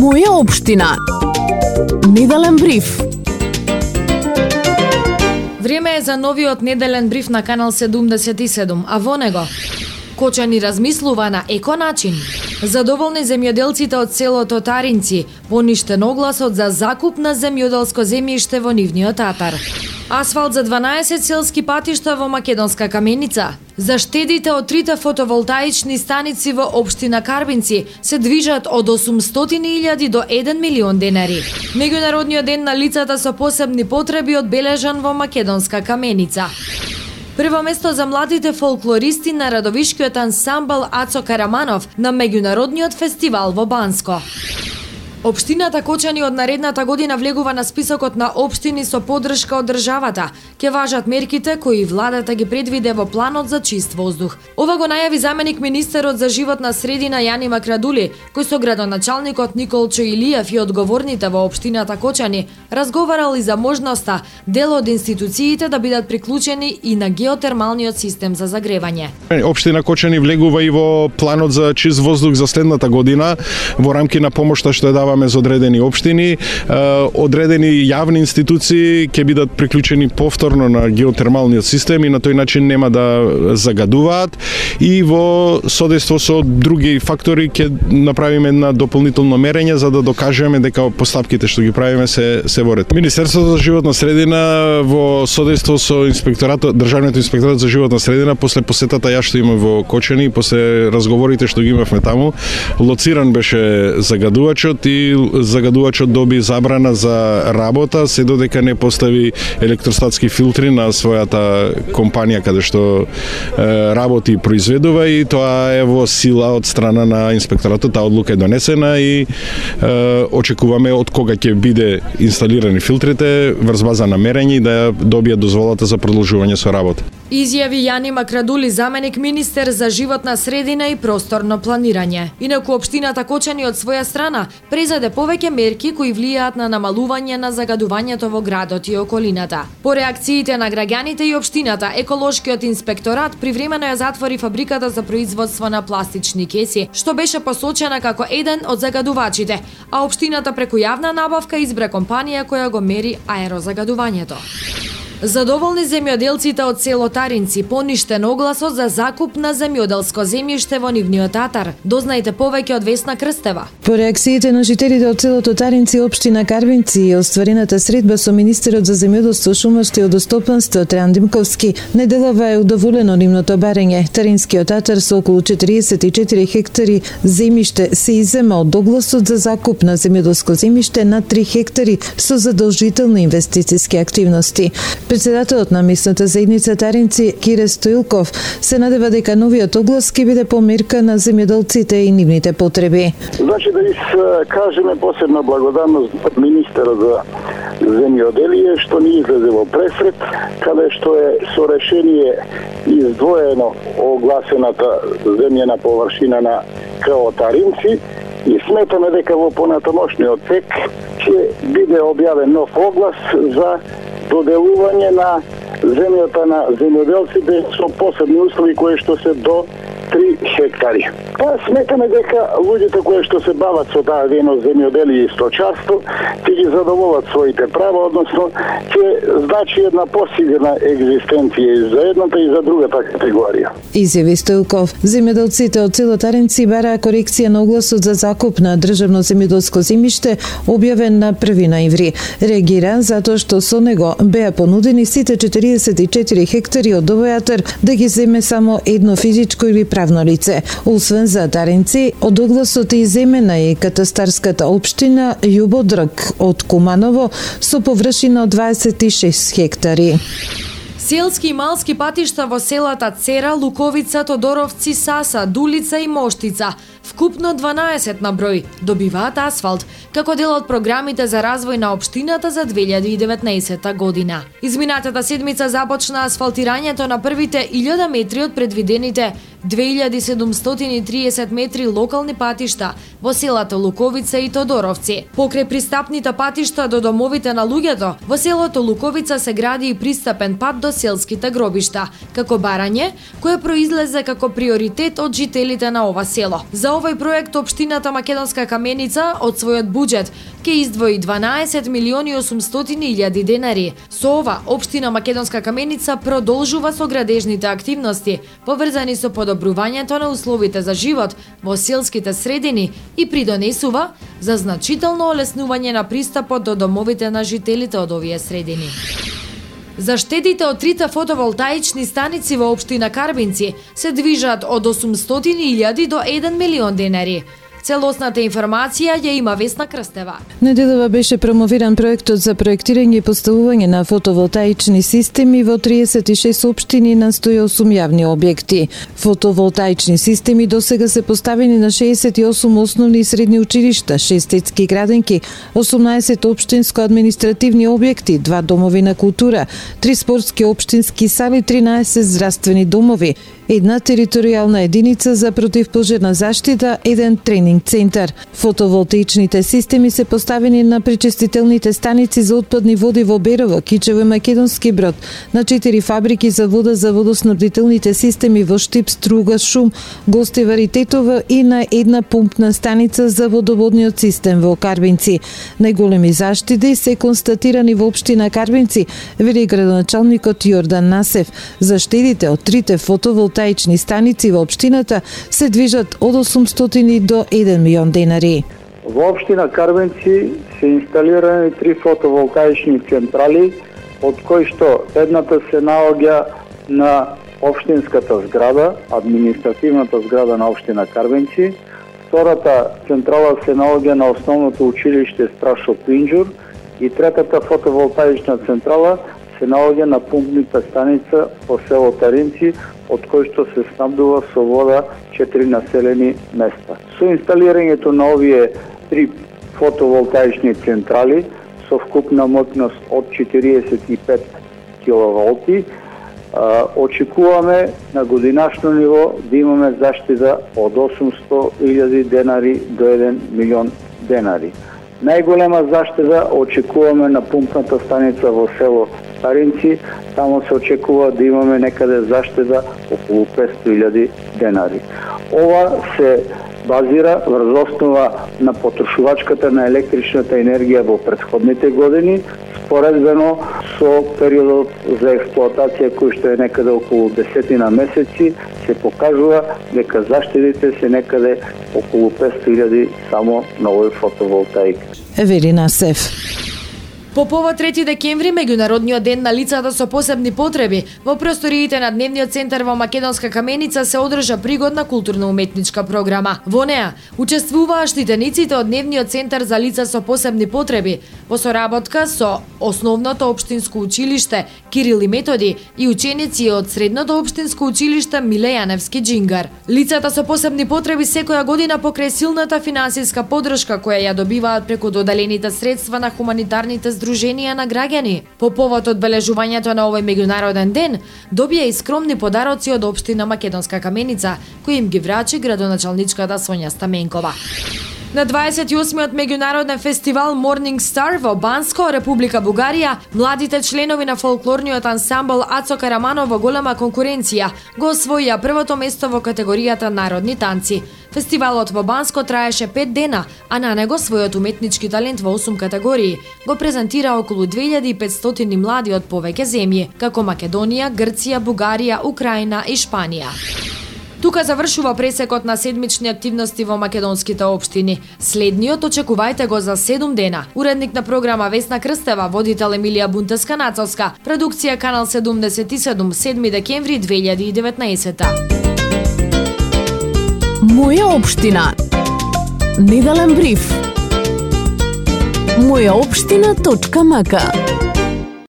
Моја општина. Неделен бриф. Време е за новиот неделен бриф на Канал 77, а во него Кочани размислува на еко начин. Задоволни земјоделците од селото Таринци, поништен огласот за закуп на земјоделско земјиште во нивниот атар. Асфалт за 12 селски патишта во Македонска Каменица. Заштедите од 3 фотоволтаични станици во општина Карбинци се движат од 800.000 до 1 милион денари. Меѓународниот ден на лицата со посебни потреби одбележан во Македонска Каменица. Прво место за младите фолклористи на радовишкиот ансамбл Ацо Караманов на меѓународниот фестивал во Банско. Општината Кочани од наредната година влегува на списокот на општини со поддршка од државата. Ке важат мерките кои владата ги предвиде во планот за чист воздух. Ова го најави заменик министерот за животна средина Јани Макрадули, кој со градоначалникот Николчо Илиев и одговорните во општината Кочани разговарал и за можноста дел од институциите да бидат приклучени и на геотермалниот систем за загревање. Општина Кочани влегува и во планот за чист воздух за следната година во рамки на помошта што ја дава за одредени општини, одредени јавни институции ќе бидат приклучени повторно на геотермалниот систем и на тој начин нема да загадуваат, и во содейство со други фактори ќе направиме една дополнително мерење за да докажеме дека постапките што ги правиме се во ред. Министерството за животна средина во содейство со инспекторатот, државниот инспекторат за животна средина, после посетата ја што има во Кочани, после разговорите што ги имавме таму, лоциран беше загадувачот и загадувачот доби забрана за работа се додека не постави електростатски филтри на својата компанија каде што работи и произведува, и тоа е во сила од страна на инспекторатот. Таа одлука е донесена и очекуваме од кога ќе биде инсталирани филтрите врз база на мерење и да добијат дозволата за продолжување со работа. Изјави Јани Макрадули, заменик министер за животна средина и просторно планирање. Инаку општината Кочани од своја страна презаде повеќе мерки кои влијаат на намалување на загадувањето во градот и околината. По реакциите на граѓаните и општината, еколошкиот инспекторат привремено ја затвори фабриката за производство на пластични кеси, што беше посочена како еден од загадувачите, а општината преку јавна набавка избра компанија која го мери аерозагадувањето. Задоволни земјоделците од село Таринци, поништен огласот за закуп на земјоделско земјиште во нивниот атар. Дознајте повеќе од Весна Крстева. По реакциите на жителите од селото Таринци, општина Карбинци и остварената средба со министерот за земјоделство, шумарство и водостопанство Трајан Димковски, неделава е удоволено нивното барење. Таринскиот атар со околу 44 хектари земјиште се иззема од огласот за закуп на земјоделско земјиште на 3 хектари со задолжителни инвестициски активности. Председателот на местната заедница Таринци, Кире Стоилков, се надева дека новиот оглас ќе биде померка на земјоделците и нивните потреби. Значи да кажеме посебна благодарност министерот за земјоделие што ни излезе во пресрет, каде што е со решение издвоено огласената земјена површина на КО Таринци, и сметаме дека во понатамошниот тек ќе биде објавен нов оглас за доделување на земјата на земјоделците со посебни услови кои што се до 3 хектари. Сметаме дека луѓето кои што се бават со таа дейност земјоделие и сточарство ќе ги задоволат своите права, односно ќе значи една посигурна екзистенција и за едната и за другата категорија. Изјави Стоилков. Земјоделците од село Таринци бараа корекција на огласот за закуп на државно земјоделско земјиште објавен на 1 ноември. Реагира затоа што со него беа понудени сите 44 хектари од овој атар да ги земе само едно физичко или правно лице. Освен за Таринци, од огласот е иземена и катастарската општина Јубодрак од Куманово со површина од 26 хектари. Селски и малски патишта во селата Цера, Луковица, Тодоровци, Саса, Дулица и Моштица, вкупно 12 на број, добиваат асфалт, како дел од програмите за развој на општината за 2019 година. Изминатата седмица започна асфалтирањето на првите 1000 метри од предвидените 2730 метри локални патишта во селата Луковица и Тодоровци. Покрај пристапните патишта до домовите на луѓето, во селото Луковица се гради и пристапен пат до селските гробишта, како барање, кое произлезе како приоритет од жителите на ова село. За За овој проект општината Македонска Каменица од својот буџет ќе издвои 12 милиони 800 илјади денари. Со ова, општина Македонска Каменица продолжува со градежните активности, поврзани со подобрувањето на условите за живот во селските средини и придонесува за значително олеснување на пристапот до домовите на жителите од овие средини. За штедите од 3 фотоволтаични станици во општина Карбинци се движат од 800.000 до 1 милион денари. Целосната информација ја има Весна Крстева. Неделава беше промовиран проектот за проектирање и поставување на фотоволтаични системи во 36 општини на 108 јавни објекти. Фотоволтаични системи досега се поставени на 68 основни и средни училишта, 6 детски градинки, 18 општинско-административни објекти, 2 домови на култура, 3 спортски општински сали, 13 здравствени домови, 1 територијална единица за противпожарна заштита, 1 тренинг центар. Фотоволтаичните системи се поставени на пречистителните станици за отпадни води во Берово, Кичево и Македонски Брод, на 4 фабрики за вода за водоснабдителните системи во Штип, Струга, Шум, Гостивар и Тетово и на 1 пумпна станица за водоводниот систем во Карбинци. Најголеми заштити се констатирани во општина Карбинци, вели градоначалникот Јордан Насев. Заштедите од 3 фотоволтаични станици во општината се движат од 800 до 1 милион денари. Во општина Карбинци се инсталирани 3 фотоволтаични централи, од кои што едната се наоѓа на општинската зграда, административната зграда на општина Карбинци, втората централа се наоѓа на основното училиште Страшо Пинџур и третата фотоволтаична централа се наоѓа на пумпната станица по село Таринци, од кој што се снабдува со вода 4 населени места. Со инсталирањето на овие 3 фотоволтаични централи со вкупна моќност од 45 киловолти, очекуваме на годинашно ниво да имаме заштита од 800.000 денари до 1 милион денари. Најголема заштита очекуваме на пумпната станица во село Старинци, таму се очекува да имаме некаде заштита околу 500.000 денари. Ова се базира врз основа на потрошувачката на електричната енергија во претходните години, споредбено со периодот за експлоатација кој што е некаде околу 10 месеци, се покажува дека заштедите се некаде околу 500.000 само на овој фотоволтаик. Еверина Сев. По повод 3 декември, меѓународниот ден на лицата со посебни потреби, во просториите на Дневниот центар во Македонска Каменица се одржа пригодна културно-уметничка програма. Во неа учествуваа штитениците од Дневниот центар за лица со посебни потреби, во соработка со Основното општинско училиште Кирил и Методи и ученици од Средното општинско училиште Миле Јаневски Џингар. Лицата со посебни потреби секоја година покрај силната финансиска поддршка која ја добиваат преку доделените средства на хуманитарните здруженија на граѓани. По повод одбележувањето на овој меѓународен ден, добија и скромни подароци од општина Македонска Каменица, кои им ги врачи градоначалничката Сонја Стаменкова. На 28-миот меѓународен фестивал Morning Star во Банско, Република Бугарија, младите членови на фолклорниот ансамбл Ацо Караманов во голема конкуренција го освоија првото место во категоријата народни танци. Фестивалот во Банско траеше 5 дена, а на него својот уметнички талент во 8 категории го презентира околу 2500 млади од повеќе земји, како Македонија, Грција, Бугарија, Украина и Шпанија. Тука завршува пресекот на седмични активности во македонските општини. Следниот очекувајте го за 7 дена. Уредник на програма Весна Крстева, водител Емилија Бунтеска-Нацовска, продукција Канал 77, 7 декември 2019. Моја општина. Неделен бриф. Мојаопштина.мк